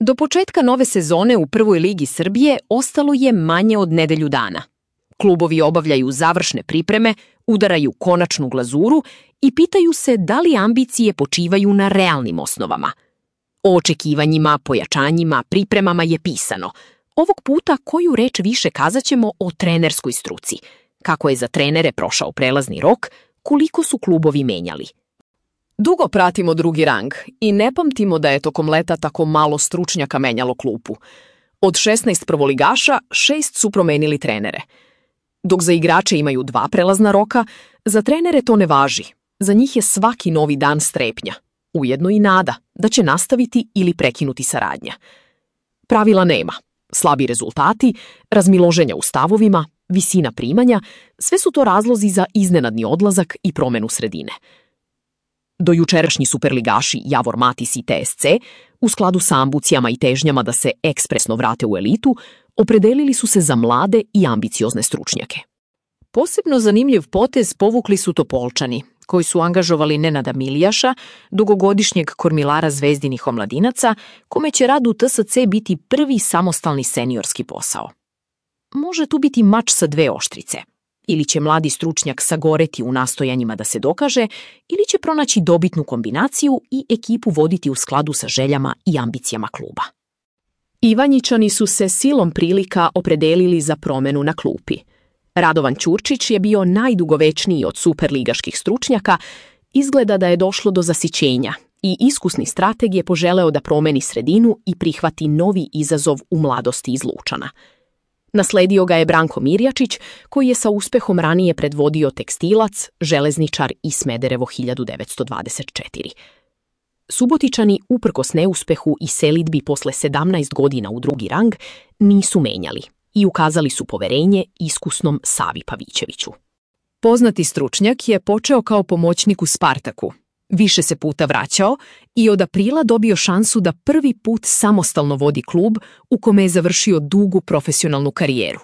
Do početka nove sezone u Prvoj ligi Srbije ostalo je manje od nedelju dana. Klubovi obavljaju završne pripreme, udaraju konačnu glazuru i pitaju se da li ambicije počivaju na realnim osnovama. O očekivanjima, pojačanjima, pripremama je pisano. Ovog puta koju reč više kazaćemo o trenerskoj struci. Kako je za trenere prošao prelazni rok, koliko su klubovi menjali. Dugo pratimo drugi rang i ne pamtimo da je tokom leta tako malo stručnjaka menjalo klupu. Od 16 prvoligaša, 6 su promenili trenere. Dok za igrače imaju 2 prelazna roka, za trenere to ne važi. Za njih je svaki novi dan strepnja, ujedno i nada da će nastaviti ili prekinuti saradnja. Pravila nema. Slabi rezultati, razmiloženja u stavovima, visina primanja, sve su to razlozi za iznenadni odlazak i promenu sredine. Dojučerašnji superligaši Javor Matis i TSC, u skladu sa ambicijama i težnjama da se ekspresno vrate u elitu, opredelili su se za mlade i ambiciozne stručnjake. Posebno zanimljiv potez povukli su Topolčani, koji su angažovali Nenada Milijaša, dugogodišnjeg kormilara Zvezdinih omladinaca, kome će rad u TSC biti prvi samostalni seniorski posao. Može tu biti mač sa 2 oštrice. Ili će mladi stručnjak sagoreti u nastojanjima da se dokaže, ili će pronaći dobitnu kombinaciju i ekipu voditi u skladu sa željama i ambicijama kluba. Ivanjičani su se silom prilika opredelili za promenu na klupi. Radovan Ćurčić je bio najdugovečniji od superligaških stručnjaka, izgleda da je došlo do zasićenja i iskusni strateg je poželeo da promeni sredinu i prihvati novi izazov u mladosti iz Lučana. Nasledio ga je Branko Mirjačić, koji je sa uspehom ranije predvodio Tekstilac, Železničar i Smederevo 1924. Subotičani, uprkos neuspehu i selidbi posle 17 godina u drugi rang, nisu menjali i ukazali su poverenje iskusnom Savi Pavićeviću. Poznati stručnjak je počeo kao pomoćnik u Spartaku. Više se puta vraćao i od aprila dobio šansu da prvi put samostalno vodi klub u kome je završio dugu profesionalnu karijeru.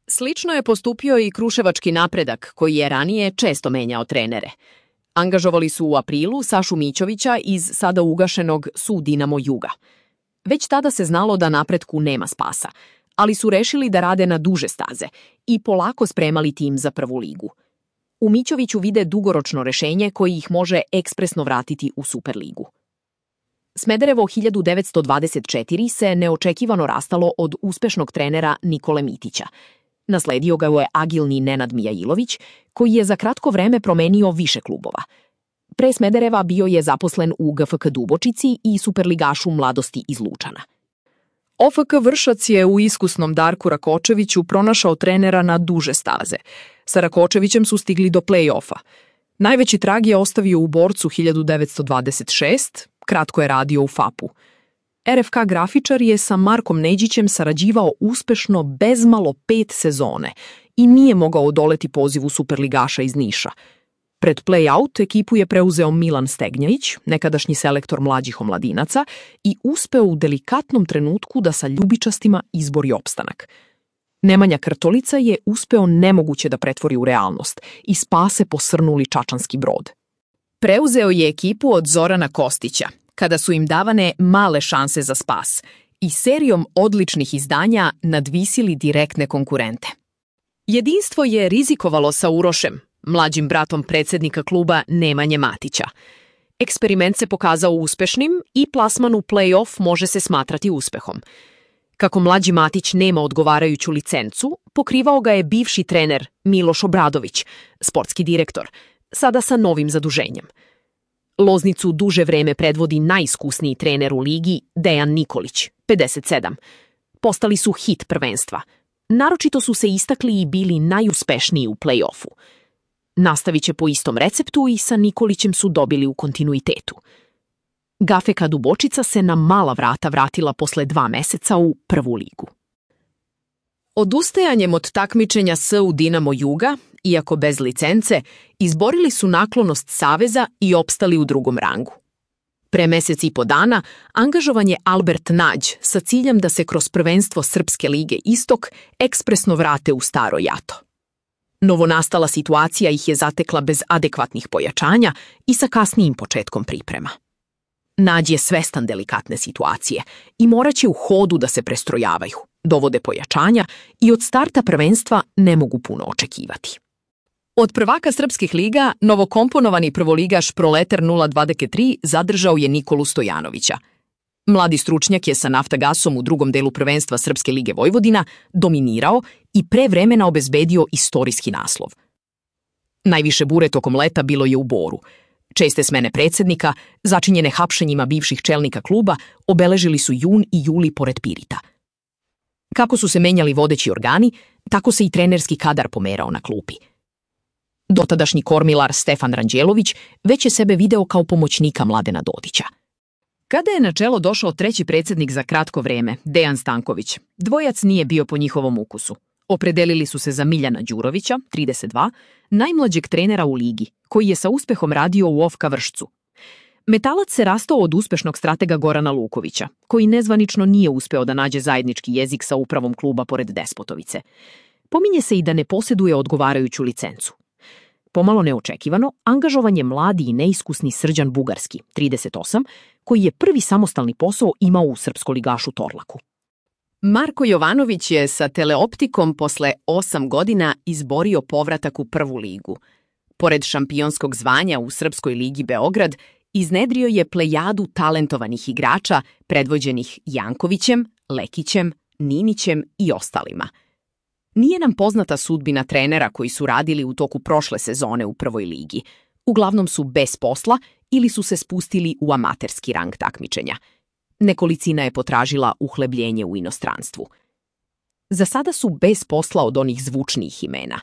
Slično je postupio i Kruševački Napredak, koji je ranije često menjao trenere. Angažovali su u aprilu Sašu Mićovića iz sada ugašenog SU Dinamo Juga. Već tada se znalo da Napretku nema spasa, ali su rešili da rade na duže staze i polako spremali tim za prvu ligu. U Mićoviću vide dugoročno rešenje koji ih može ekspresno vratiti u Superligu. Smederevo 1924 se neočekivano rastalo od uspešnog trenera Nikole Mitića. Nasledio ga je agilni Nenad Mijailović, koji je za kratko vreme promenio više klubova. Pre Smedereva bio je zaposlen u GFK Dubočici i superligašu mladosti iz Lučana. OFK Vršac je u iskusnom Darku Rakočeviću pronašao trenera na duže staze. Sa Rakočevićem su stigli do play-offa. Najveći trag je ostavio u Borcu 1926, kratko je radio u FAP-u. RFK Grafičar je sa Markom Neđićem sarađivao uspešno bezmalo 5 sezone i nije mogao odoleti pozivu superligaša iz Niša. Pred play-out ekipu je preuzeo Milan Stegnjajić, nekadašnji selektor mlađih omladinaca, i uspeo u delikatnom trenutku da sa ljubičastima izbori opstanak. Nemanja Krtolica je uspeo nemoguće da pretvori u realnost i spase posrnuli čačanski Brod. Preuzeo je ekipu od Zorana Kostića, kada su im davane male šanse za spas i serijom odličnih izdanja nadvisili direktne konkurente. Jedinstvo je rizikovalo sa Urošem, mlađim bratom predsjednika kluba Nemanje Matića. Eksperiment se pokazao uspešnim i plasman u play-off može se smatrati uspehom. Kako mlađi Matić nema odgovarajuću licencu, pokrivao ga je bivši trener Miloš Obradović, sportski direktor, sada sa novim zaduženjem. Loznicu duže vreme predvodi najiskusniji trener u ligi Dejan Nikolić, 57. Postali su hit prvenstva. Naročito su se istakli i bili najuspešniji u play-offu. Nastavit će po istom receptu i sa Nikolićem su dobili u kontinuitetu. GFK Dubočica se na mala vrata vratila posle 2 meseca u prvu ligu. Odustajanjem od takmičenja SU Dinamo Juga, iako bez licence, izborili su naklonost Saveza i opstali u drugom rangu. Pre mesec i po dana angažovan je Albert Nađ sa ciljem da se kroz prvenstvo Srpske lige Istok ekspresno vrate u staro jato. Novonastala situacija ih je zatekla bez adekvatnih pojačanja i sa kasnijim početkom priprema. Nađ je svestan delikatne situacije i morat će u hodu da se prestrojavaju, dovode pojačanja i od starta prvenstva ne mogu puno očekivati. Od prvaka srpskih liga, novokomponovani prvoligaš Proletar 023 zadržao je Nikolu Stojanovića. Mladi stručnjak je sa Naftagasom u drugom delu prvenstva Srpske lige Vojvodina dominirao i pre vremena obezbedio istorijski naslov. Najviše bure tokom leta bilo je u Boru. Česte smene predsjednika, začinjene hapšenjima bivših čelnika kluba, obeležili su jun i juli pored Pirita. Kako su se menjali vodeći organi, tako se i trenerski kadar pomerao na klupi. Dotadašnji kormilar Stefan Ranđelović već je sebe video kao pomoćnika Mladena Dodića. Kada je na čelo došao treći predsjednik za kratko vreme, Dejan Stanković, dvojac nije bio po njihovom ukusu. Opredelili su se za Miljana Đurovića, 32, najmlađeg trenera u ligi, koji je sa uspehom radio u OFK Vršcu. Metalac se rastao od uspešnog stratega Gorana Lukovića, koji nezvanično nije uspeo da nađe zajednički jezik sa upravom kluba pored Despotovice. Pominje se i da ne posjeduje odgovarajuću licencu. Pomalo neočekivano, angažovan je mladi i neiskusni Srđan Bugarski, 38, koji je prvi samostalni posao imao u srpskoligašu Torlaku. Marko Jovanović je sa Teleoptikom posle 8 godina izborio povratak u prvu ligu. Pored šampionskog zvanja u Srpskoj ligi Beograd, iznedrio je plejadu talentovanih igrača predvođenih Jankovićem, Lekićem, Ninićem i ostalima. Nije nam poznata sudbina trenera koji su radili u toku prošle sezone u prvoj ligi. Uglavnom su bez posla ili su se spustili u amaterski rang takmičenja. Nekolicina je potražila uhlebljenje u inostranstvu. Za sada su bez posla od onih zvučnijih imena: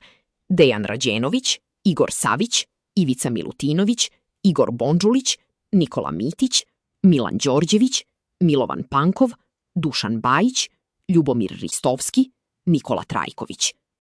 Dejan Rađenović, Igor Savić, Ivica Milutinović, Igor Bondžulić, Nikola Mitić, Milan Đorđević, Milovan Pankov, Dušan Bajić, Ljubomir Ristovski, Nikola Trajković.